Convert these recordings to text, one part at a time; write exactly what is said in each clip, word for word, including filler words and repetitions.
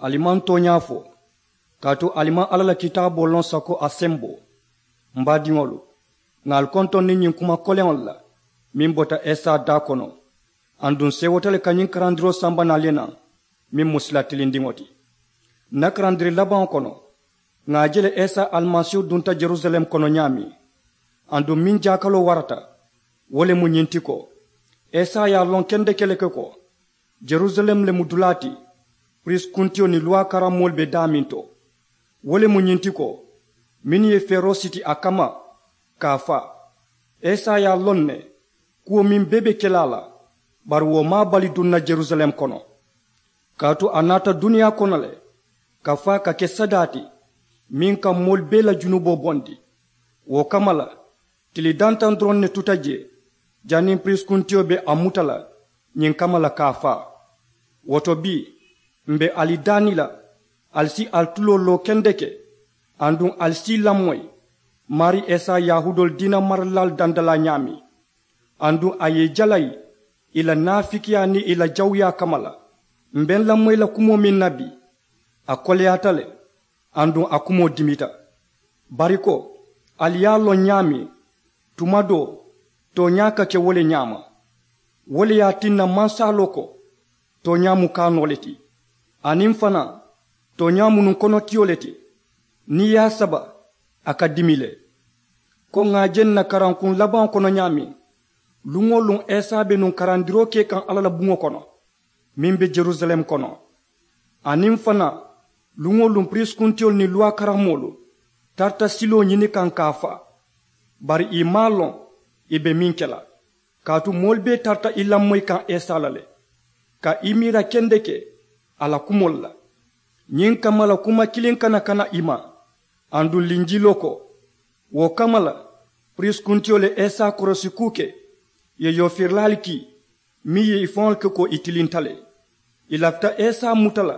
Ali maŋ tooñaa fo, kaatu ali maŋ alla la kitaaboo loŋ sako a semboo. M baadiŋolu, ŋà ali kontoŋ niŋ ñiŋ kuma koleŋolu la meŋ bota esa daa kono. Aduŋ seewota le ka ñiŋ karandiroo samba naŋ ali ye naŋ meŋ mu sila tilindiŋo ti. N na karandiri labaŋo kono, ŋà a je le esa alimasiihu dunta jerusalem kono ñaameŋ. Aduŋ meŋ jaakaloo warata, wo le mu ñiŋ ti ko, esa ye a loŋ kendeke le ke ko, jerusalem le mu dulaa ti piriisi kuntiyo niŋ luwaa karammoolu be daameŋ to. Wo le mu ñiŋ ti ko, mennu ye feeroo siti a kamma ka a faa, esa ye a loŋ ne kuwo meŋ bee be ke la a la. Bari wo maŋ a bali duŋ na jerusalem kono, kaatu a naata duniyaa kono le ka faa ka ke sadaa ti meŋ ka moolu bee la junuboo bondi. Wo kamma la, tili dantaŋ doroŋ ne tuta jee janniŋ piriisi kuntiyo be a muta la ñiŋ kamma la ka a faa. Wo to bii, m̀ be ali daani la, ali si ali tuloo loo kendeke, aduŋ ali si i lamoyi maarii esa yahuudoolu diina maralilaalu dandalaa ñaameŋ. Aduŋ a ye i jalayi i la naafikiyaa niŋ i la jawuyaa kamma la. M̀ be n lamoyi la kumoo meŋ na bii, a koleyaata le, aduŋ a kumoo dimita. Bari ko, ali ye a loŋ ñaameŋ, tuma doo tooñaa ka ke wo le ñaama. Wo le ye a tinna mansaaloo ko, tooñaa mu kaanoo le ti, aniŋ fanaa tooñaa mu nuŋ konotiyo le ti. Niŋ i ye a saba, a ka dimi le. Ko ŋà a je n na karankuŋ labaŋo kono ñaameŋ, luŋ-wo-luŋ esa be nuŋ karandiroo ke kaŋ alla la buŋo kono meŋ be jerusalem kono. Aniŋ fanaa, luŋ-wo-luŋ piriisi kuntiyolu niŋ luwaa karammoolu tarata siloo ñini kaŋ ka a faa. Bari ì maŋ a loŋ ì be meŋ ke la, kaatu moolu bee tarata i lamoyi kaŋ esa la le, ka i miira kendeke a la kumoolu la. Ñiŋ kamma la kuma kiliŋ kana kana i ma. Aduŋ linjiloo ko, wo kamma la, piriisi kuntiyo le esa korosi kuu ke, ì ye yoofirilaalu kii meŋ ye i faŋolu ke ko i tilinta le. Ì lafita esa muta la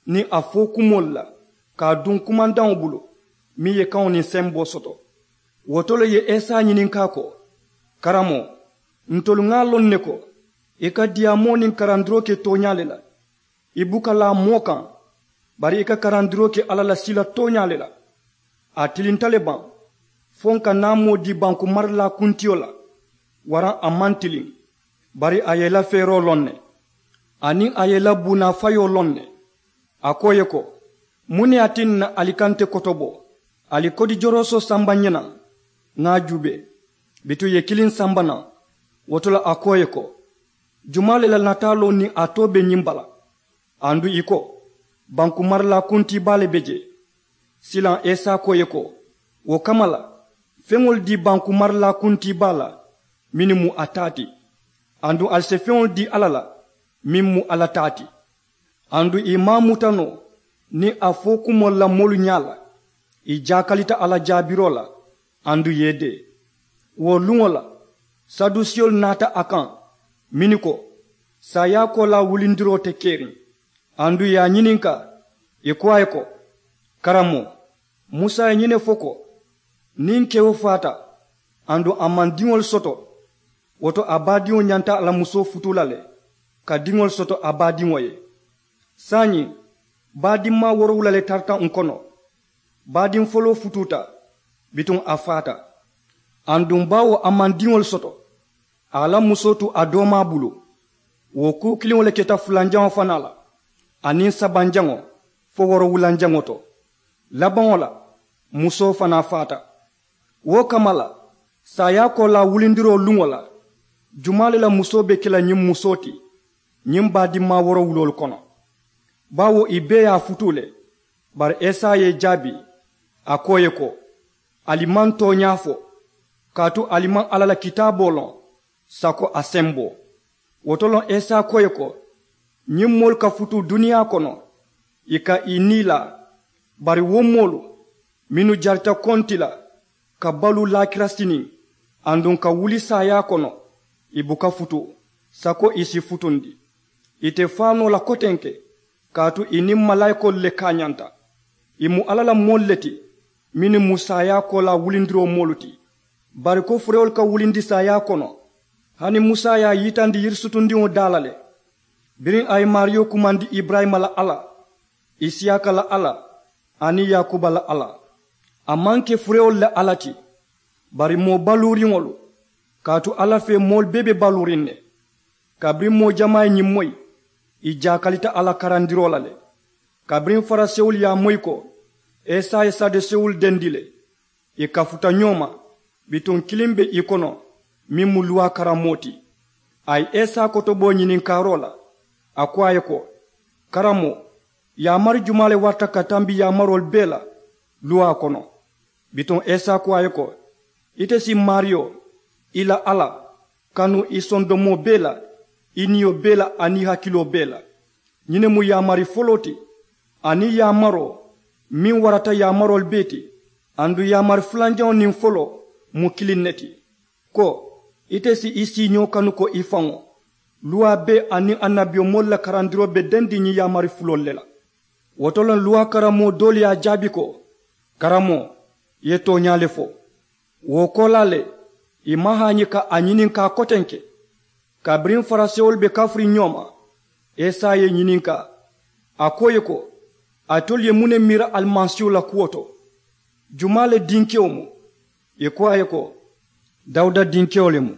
niŋ a fo kumoolu la ka a duŋ kumandaŋo bulu meŋ ye kaŋo niŋ semboo soto. Wo to le ì ye esa ñininkaa ko, karamoo, ntolu ŋà a loŋ ne ko i ka diyaamoo niŋ karandiroo ke tooñaa le la, i buka laa moo kaŋ, bari i ka karandiroo ke alla la sila tooñaa le la. A tilinta le baŋ fo n ka naamoo dii banku marilaa kuntiyo la? Waraŋ a maŋ tiliŋ, bari a ye i la feeroo loŋ ne, aniŋ a ye i la buunaa fayoo loŋ ne. A ko ì ye ko, muŋ ne ye a tinna ali ka nte kotobo ali kodi joroosoo samba n ye naŋ? Ŋà a juubee, bituŋ ì ye kiliŋ samba naŋ. Wo to le a ko ì ye ko, jumaa le la nataaloo niŋ a too be ñiŋ bala? Aduŋ ì ko, banku marilaa kuntii baa le be jee. Silaŋ esa ko ì ye ko, wo kamma la, feŋolu dii banku marilaa kuntii baa la mennu mu a taa ti, aduŋ ali si feŋolu dii alla la meŋ mu alla taa ti. Aduŋ ì maŋ a muta noo niŋ a fo kumoolu la moolu ñaa la, ì jaakalita a la jaabiroo la, aduŋ ì ye i dee. Wo luŋo la, sadusiyolu naata a kaŋ mennu ko, saayaakoolaa wulindiroo te keriŋ. Aduŋ ì ye a ñininkaa, ì ko a ye ko, karamoo, musa ye ñiŋ ne fo ko, niŋ kewo faata aduŋ a maŋ diŋolu soto, wo to a baadiŋo ñanta a la musoo futuu la le ka diŋolu soto a baadiŋo ye. Saayiŋ, baadimmaa woorowula le tarata ǹ kono. Baadiŋ foloo futuuta, bituŋ a faata. Aduŋ baawo a maŋ diŋolu soto, a ye a la musoo tu a doomaa bulu. Wo kuu kiliŋo le keta fulanjaŋo fanaa la, aniŋ sabanjaŋo fo woorowulanjaŋo to. Labaŋo la, musoo fanaa faata. Wo kamma la, saayaakoolaa wulindiroo luŋo la, jumaa le la musoo be ke la ñiŋ musoo ti ñiŋ baadimmaa woorowuloolu kono? Baawo ì bee ye a futuu le. Bari esa ye ì jaabi, a ko ì ye ko, ali maŋ tooñaa fo, kaatu ali maŋ alla la kitaaboo loŋ sako a semboo. Wo to loŋ esa ko ì ye ko, ñiŋ moolu ka futuu duniyaa kono, ì ka ì nii laa. Bari wo moolu mennu jarita konti la ka baluu laakira siniŋ, aduŋ ka wuli saayaa kono, ì buka futuu sako ì si futundi. Ì te faa noo la kotenke, kaatu ì niŋ malaayikoolu le kaañanta. Ì mu alla la moolu le ti mennu mu saayaakoolaa wulindiroo moolu ti. Bari ko furewolu ka wulindi saayaa kono, hani musa ye a yitandi yirisutundiŋo daa la le. Biriŋ a ye maariyo kumandi iburayima la alla, Isiyaaka la alla aniŋ yaakuba la alla. A maŋ ke furewolu la alla ti, bari moo baluuriŋolu. Kaatu alla fee moolu bee be baluuriŋ ne. Kabiriŋ moo jamaa ye ñiŋ moyi, ì jaakalita a la karandiroo la le. Kabiriŋ farisewolu ye a moyi ko, esa ye sadusewolu dendi le, ì kafuta ñoo ma. Bituŋ kiliŋ be ì kono, meŋ mu luwaa karammoo ti. A ye esa kotobo ñininkaaroo la. A ko a ye ko, karamoo, yaamari jumaa le warata ka tambi yaamaroolu bee la luwaa kono? Bituŋ esa ko a ye ko, ite si maariyo, i la alla, kanu i sondomoo bee la, i niyo bee la aniŋ i hakiloo bee la. Ñiŋ ne mu yaamari foloo ti. Aniŋ yaamaroo meŋ warata yaamaroolu bee ti, aduŋ yaamari fulanjaŋo niŋ foloo mu kiliŋ ne ti, ko, ite si i siiñoo kanu ko i faŋo. Luwaa bee aniŋ annabiyomoolu la karandiroo be dendiŋ ñiŋ yaamari fuloolu le la. Wo to le luwaa karammoo doolu ye a jaabi ko, karamoo, i ye tooñaa le fo. Wo koolaa le, ì maŋ haañi ka a ñininkaa kotenke. Kabiriŋ farisewolu be kafiriŋ ñoo ma, esa ye ì ñininkaa. A ko ì ye ko, alitolu ye muŋ ne miira alimasiihu la kuwo to? Jumaa le dinkewo mu? Ì ko a ye ko, dawuda dinkewo le mu.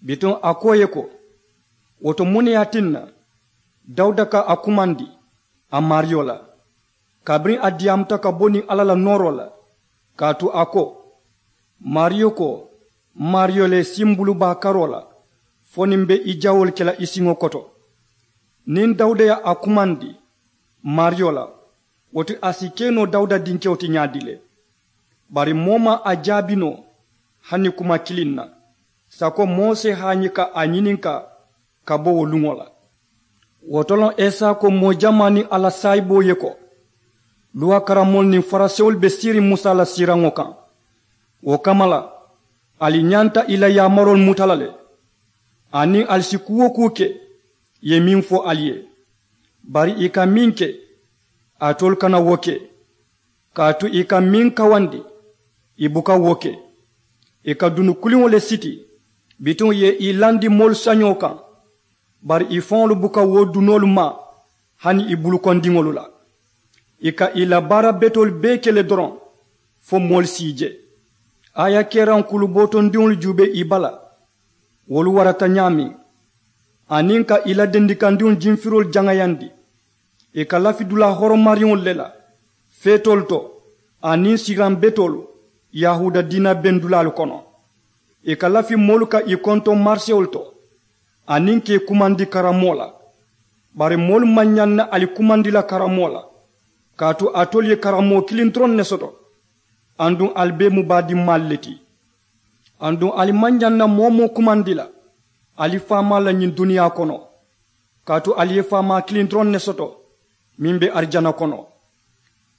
Bituŋ a ko ì ye ko, wo to muŋ ne ye a tinna dawuda ka a kumandi a maariyo la, kabiriŋ a diyaamuta ka bo niŋ alla la nooroo la? Kaatu a ko, maariyo ko, m maariyo le, simbulu baa karoo la, fo niŋ m be i jawoolu ke la i siŋo koto. Niŋ dawuda ye a kumandi maariyo la, wo ti a si ke noo dawuda dinkewo ti ñaadii le? Bari moo maŋ a jaabi noo hani kuma kiliŋ na, sako moo si haañi ka a ñininkaa ka bo wo luŋo la. Wo to loŋ esa ko moo jamaa niŋ a la saayiboo ye ko, luwaa karammoolu niŋ farisewolu be siiriŋ musa la siiraŋo kaŋ. Wo kamma la, ali ñanta i la yaamaroolu muta la le, aniŋ ali si kuu-wo-kuu ke ì ye meŋ fo ali ye. Bari ì ka meŋ ke, alitolu kana wo ke. Kaatu ì ka meŋ kawandi, ì buka wo ke. Ì ka dunu kuliŋo le siti, bituŋ ì ye ì landi moolu sañoo kaŋ. Bari ì faŋolu buka wo dunoolu maa hani ì bulukondiŋolu la. Ì ka ì la baara betoolu bee ke le doroŋ, fo moolu si ì je. Aayakeeraŋ kulu bootondiŋolu juubee ì bala, wolu warata ñaameŋ, aniŋ ka ì la dendikandiŋolu jimfiroolu jaŋayandi. Ì ka lafi dulaa horomariŋolu le la, feetoolu to aniŋ siiraŋ betoolu yahuuda diina beŋ dulaalu kono. Ì ka lafi moolu ka ì kontoŋ marisewolu to, aniŋ ka ì kumandi karammoo la. Bari moolu maŋ ñaŋ na ali kumandi la karammoo la, kaatu alitolu ye karammoo kiliŋ doroŋ ne soto. Aduŋ ali bee mu baadimmaalu le ti. Aduŋ ali maŋ ñaŋ na moo-wo-moo kumandi la ali faamaa la ñiŋ duniyaa kono, kaatu ali ye faamaa kiliŋ doroŋ ne soto, meŋ be arijana kono.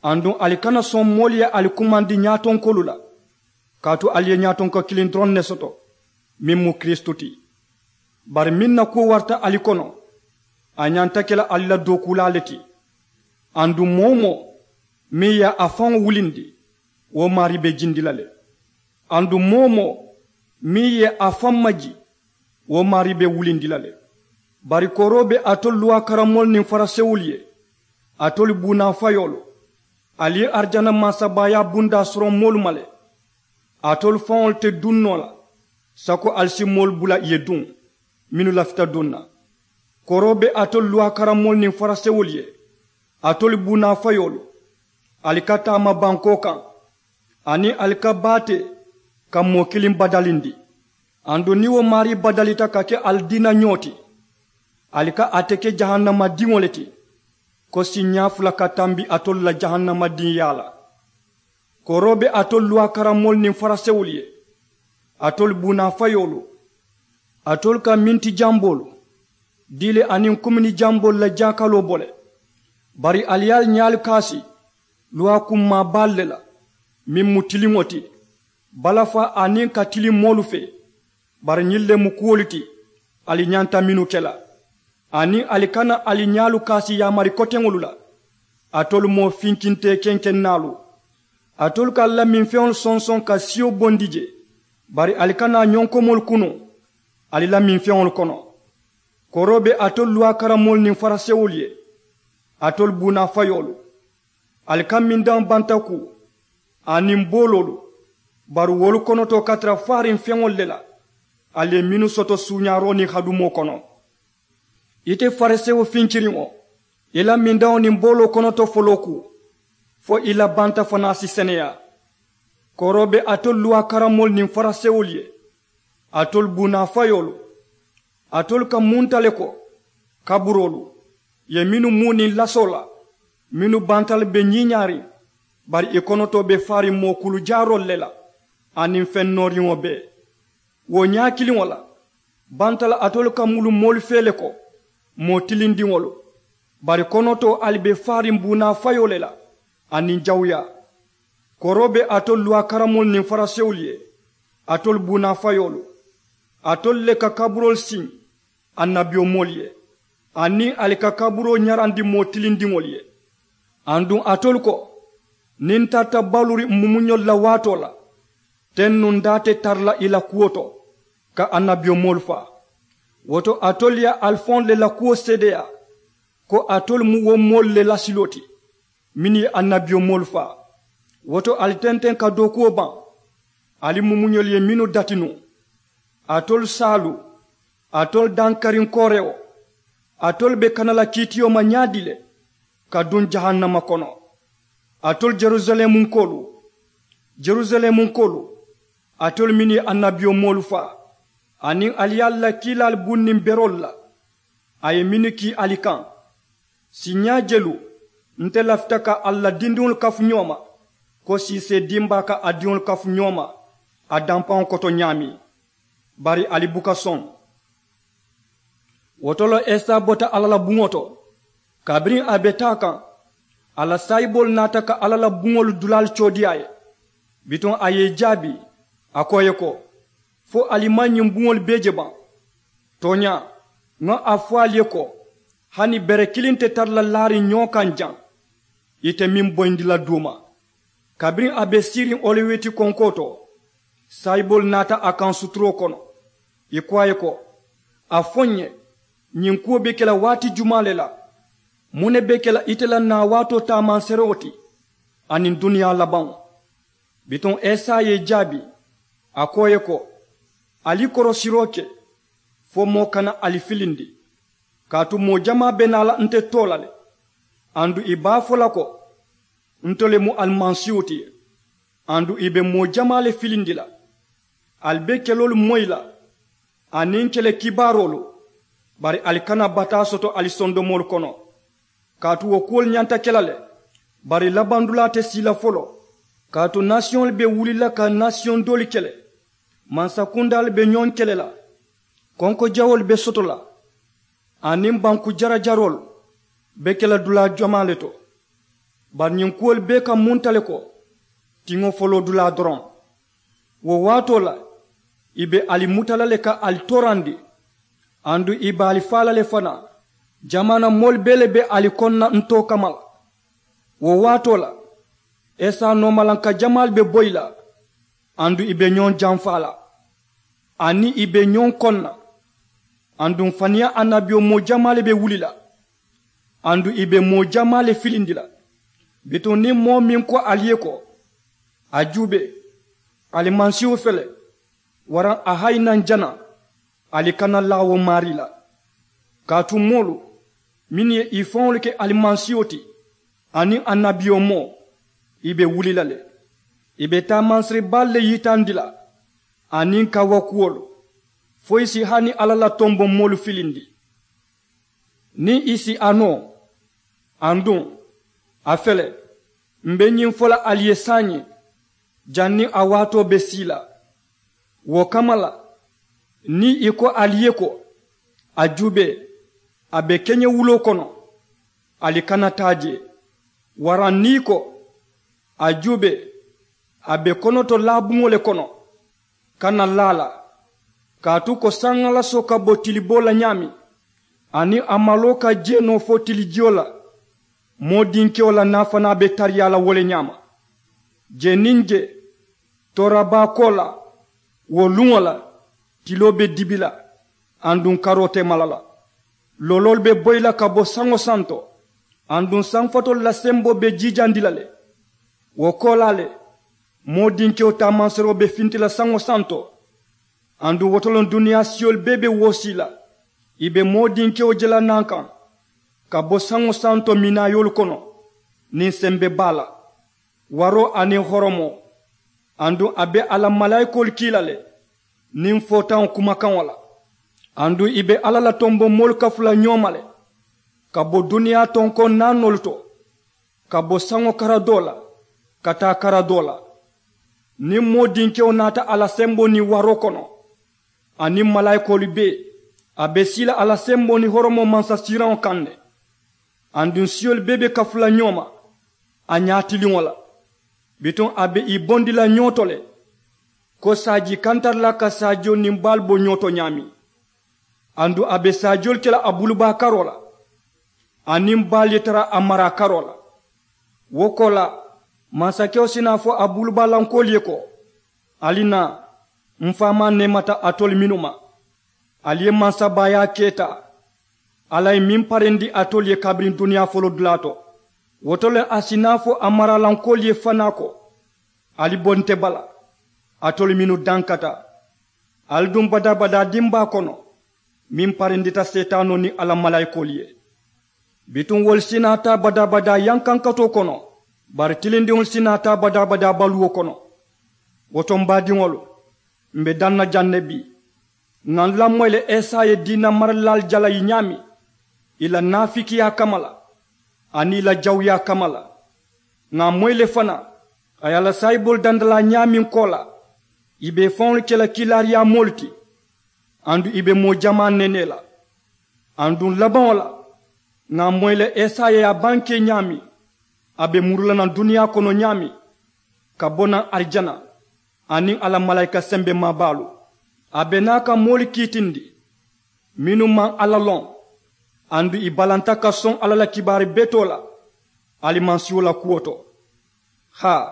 Aduŋ ali kana soŋ moolu ye ali kumandi ñaatonkoolu la, kaatu ali ye ñaatonko kiliŋ doroŋ ne soto, meŋ mu kiristu ti. Bari meŋ na kuwo warata ali kono, a ñanta ke la ali la dookuulaa le ti. Aduŋ moo-wo-moo meŋ ye a faŋo wulindi, wo maarii be jindi la le. Aduŋ moo-wo-moo meŋ ye a faŋ maji, wo maarii be wulindi la le. Bari kooroo be alitolu luwaa karammoolu niŋ farisewolu ye, alitolu buunaa fayoolu, ali ye arijana mansabaayaa bundaa soroŋ moolu ma le. Alitolu faŋolu te duŋ noo la sako ali si moolu bula ì ye duŋ, mennu lafita duŋ na. Kooroo be alitolu luwaa karammoolu niŋ farisewolu ye, alitolu buunaa fayoolu, ali ka taama bankoo kaŋ, aniŋ ali ka baatee ka moo kiliŋ badalindi. Aduŋ niŋ wo maarii badalita ka ke ali diina ñoo ti, ali ka ate ke jahannama diŋo le ti, ko siiñaa fula ka tambi alitolu la jahannama diŋyaa la. Kooroo be alitolu luwaa karammoolu niŋ farisewolu ye, alitolu buunaa fayoolu, alitolu ka minti jamboolu dii le aniŋ kumini jamboolu la jaakaloo bo le. Bari ali ye ali ñaalu kaasi luwaa kummaa baalu le la, meŋ mu tiliŋo ti, balafaa aniŋ ka tiliŋ moolu fee. Bari ñiŋ le mu kuwolu ti ali ñanta mennu ke la. Aniŋ ali kana ali ñaalu kaasi yaamari koteŋolu la. Alitolu moo finkintee kenkennaalu, alitolu ka ali la minfeŋolu sonsoŋ ka siyo bondi je, bari ali kana ñonkomoolu kunu ali la minfeŋolu kono. Kooroo be alitolu luwaa karammoolu niŋ farisewolu ye, Alitolu buunaa fayoolu, ali ka mindaŋo banta kuu aniŋ booloolu, bari wolu konotoo ka tara faariŋ feŋolu le la. Ali ye mennu soto suuñaaroo niŋ hadumoo kono. Ite farisewo finkiriŋo, i la mindaŋo niŋ booloo konotoo foloo kuu, fo i la banta fanaa si seneyaa. Koroo be alitolu luwaa karamoolu niŋ farisewolu ye, alitolu buunaa fayoolu. Alitolu ka munta le ko kaburoolu ye mennu muu niŋ lasoo la, mennu banta le be ñiiñaariŋ, bari i konotoo be faariŋ moo kulu jaaroolu le la aniŋ feŋ nooriŋo bee. Wo ñaa kiliŋo la, banta la alitolu ka mulu moolu fee le ko moo tilindiŋolu, bari konotoo ali be faariŋ buunaa fayoo le la aniŋ jawuyaa. Koroo be alitolu luwaa karamoolu niŋ farisewolu ye, alitolu buunaa fayoolu, alitolu le ka kaburoolu siŋ annabiyomoolu ye, aniŋ ali ka kaburoo ñarandi moo tilindiŋolu ye. Aduŋ alitolu ko, niŋ n tarata baluuriŋ n mumuñolu la waatoo la, teŋ nuŋ n daa te tara la i la kuwo to ka annabiyomoolu faa. Wo to alitolu ye ali faŋolu le la kuwo seedeyaa ko alitolu mu wo moolu le la siloo ti mennu ye annabiyomoolu faa. Wo to ali tenteŋ ka dookuwo baŋ, ali mumuñolu ye mennu dati nuŋ. Alitolu saalu, alitolu dankariŋ koorewo, alitolu be kana la kiitiyo ma ñaadii le ka duŋ jahannama kono? Alitolu yerusalemunkoolu, yerusalemunkoolu, alitolu mennu ye annabiyomoolu faa, aniŋ ali ye ali la kiilaalu buŋ niŋ beroolu la, a ye mennu kii ali kaŋ. Siiñaa jelu nte lafita ka ali la dindiŋolu kafu ñoo ma ko siisee dimbaa ka a diŋolu kafu ñoo ma a dampaŋo koto ñaameŋ, bari ali buka soŋ. Wo to le esa bota alla la buŋo to. Kabiriŋ a be taa kaŋ, a la saayiboolu naata ka alla la buŋolu dulaalu coodi a ye. Bituŋ a ye i jaabi, a ko i ye ko, fo ali maŋ ñiŋ buŋolu bee je baŋ? Tooñaa, ŋa a fo ali ye ko, hani bere kiliŋ te tara la laariŋ ñoo kaŋ jaŋ ite meŋ boyindi la duuma. Kabiriŋ a be siiriŋ oliwiti konkoo to, saayiboolu naata a kaŋ suturoo kono. I ko a ye ko, a fo n ye, ñiŋ kuwo be ke la waati jumaa le la? Muŋ ne be ke la ite la naawaatoo taamanserewo ti aniŋ duniyaa labaŋo? Bituŋ esa ye i jaabi, a ko i ye ko, ali korosiroo ke fo moo kana ali filindi. Kaatu moo jamaa be naa la nte too la le, aduŋ i be a fo la ko, nte le mu alimansiiwo ti. Aduŋ i be moo jamaa le filindi la. Ali be keloolu moyi la aniŋ kele kibaaroolu, bari ali kana bataa soto ali sondomoolu kono. Kaatu wo kuwolu ñanta ke la le, bari labandulaa te sii la foloo. Kaatu nasiyoŋolu be wuli la ka nasiyoŋ doolu kele. Mansakundaalu be ñoŋ kele la. Konko jawoolu be soto la, aniŋ banku jarajaroolu be ke la dulaa jamaa le to. Bari ñiŋ kuwolu bee ka munta le ko tiŋo foloo dulaa doroŋ. Wo waatoo la, i be ali muta la le ka ali toorandi, aduŋ i be ali faa la le fanaa. Jamaana moolu bee le be ali koŋ na n too kamma la. Wo waatoo la, esa noomalanka jamaalu be boyi la, aduŋ i be ñoŋ jamfaa la, aniŋ i be ñoŋ koŋ na. Aduŋ faniyaa annabiyomoo jamaa le be wuli la, aduŋ i be moo jamaa le filindi la. Bituŋ niŋ moo meŋ ko ali ye ko, a juubee, alimansiiwo fele, waraŋ a hayi naŋ jana, ali kana laa wo maarii la. Kaatu moolu mennu ye i faŋolu ke alimansiiwo ti aniŋ annabiyomoo, i be wuli la le. I be taamansiri baalu le yitandi la aniŋ kawakuwolu, fo i si hani alla la tombomoolu filindi. Niŋ i si a noo, aduŋ a fele, m be ñiŋ fo la ali ye saayiŋ, janniŋ a waatoo be sii la. Wo kamma la, niŋ i ko ali ye ko, a juubee, a be keñewuloo kono, ali kana taa jee. Waraŋ niŋ i ko, a juubee, a be konoto laabuŋo le kono, kana laa a la. Kaatu ko saŋalasoo ka bo tiliboo la ñaameŋ, aniŋ a maloo ka jee noo fo tilijiyo la, moo dinkewo la naa fanaa be tariyaa la wo le ñaama. Jee niŋ jee, toorabaa koolaa, wo luŋo la, tiloo be dibi la, aduŋ karoo te mala la. Looloolu be boyi la ka bo saŋo santo, Aduŋ sanfatoolu la semboo be jiijandi la le. Wo koolaa le, moo dinkewo taamansiroo be finti la saŋo santo. Aduŋ wo to loŋ duniyaa siyolu bee be woosii la. Ì be moo dinkewo je la naŋ kaŋ ka bo saŋo santo minaayoolu kono, niŋ sembe baa la, waroo aniŋ horomoo. Aduŋ a be a la malaayikoolu kii la le niŋ footaŋo kumakaŋo la. Aduŋ ì be alla la tombomoolu kafu la ñoo ma le, ka bo duniyaa tonkoŋ naanoolu to, ka bo saŋo kara doo la ka taa kara doo la. Niŋ moo dinkewo naata a la semboo niŋ waroo kono, aniŋ malaayikoolu bee, a be sii la a la semboo niŋ horomoo mansasiiraŋo kaŋ ne. Aduŋ siyolu bee be kafu la ñoo ma a ñaatiliŋo la. Bituŋ a be ì bondi la ñoo to le, ko saajii kantaralaa ka saajiyo niŋ baalu bo ñoo to ñaameŋ. Aduŋ a be saajiyoolu ke la a bulubaa karoo la, aniŋ baalu ye tara a maraa karoo la. Wo koolaa, mansakewo si naa fo a bulubaalankoolu ye ko, ali naa, m faamaa neemata alitolu mennu ma. Ali ye mansabaayaa keta alla ye meŋ parindi alitolu ye kabiriŋ duniyaa foloo dulaa to. Wo to le a si naa fo a maraalankoolu ye fanaa ko, ali bo nte bala, alitolu mennu dankata, ali duŋ badaa-badaa dimbaa kono, meŋ parindita seetaanoo niŋ a la malaayikoolu ye. Bituŋ wolu si naa taa badaa-badaa yankankatoo kono, bari tilindiŋolu si naa taa badaa-badaa baluwo kono. Wo to m baadiŋolu, m be daŋ na jaŋ ne bii. Ŋà n lamoyi le esa ye diina maralilaalu jalayi ñaameŋ, ì la naafikiyaa kamma la, aniŋ ì la jawuyaa kamma la. Ŋà a moyi le fanaa, a ye a la saayiboolu dandalaa ñaameŋ koolaa, ì be ì faŋolu ke la kiilaariyaa moolu ti, aduŋ ì be moo jamaa neenee la. Aduŋ labaŋo la, ŋà a moyi le esa ye a bankee ñaameŋ, a be muru la naŋ duniyaa kono ñaameŋ, ka bo naŋ arijana, aniŋ a la malaayika sembemaa baalu. A be naa ka moolu kiitindi mennu maŋ alla loŋ, aduŋ ì balanta ka soŋ alla la kibaari betoo la, alimasiiho la kuwo to. Haa,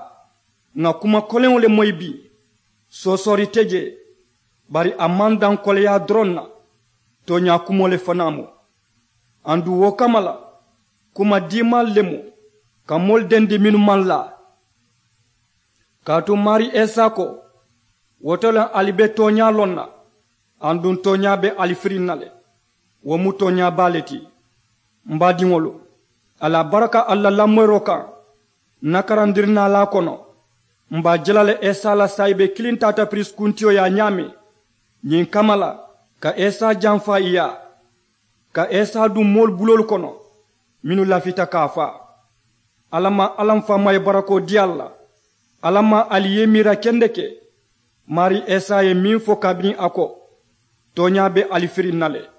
ŋà kuma koleŋo le moyi bii. Soosoori te jee, bari a maŋ daŋ koleyaa doroŋ na, tooñaa kumoo le fanaa mu. Aduŋ wo kamma la, kuma diimaalu le mu, ka moolu dendi mennu maŋ laa. Kaatu maarii isa ko, wo to le ali be tooñaa loŋ na, aduŋ tooñaa be ali firiŋ na le. Wo mu tooñaa baa le ti. M baadiŋolu, ali a baraka ali la lamoyiroo kaŋ. N na karandirinaalaa kono, m be a je la le isa la saayibe kiliŋ taata piriisi kuntiyo yaa ñaameŋ, ñiŋ kamma la, ka isa janfa ì yaa, ka isa duŋ moolu buloolu kono mennu lafita ka a faa. Alla maŋ alla m faamaa ye barakoo dii ali la. Alla maŋ ali yee miira kendeke. Maarii isa ye meŋ fo kabiriŋ a ko, tooñaa be ali firiŋ na le.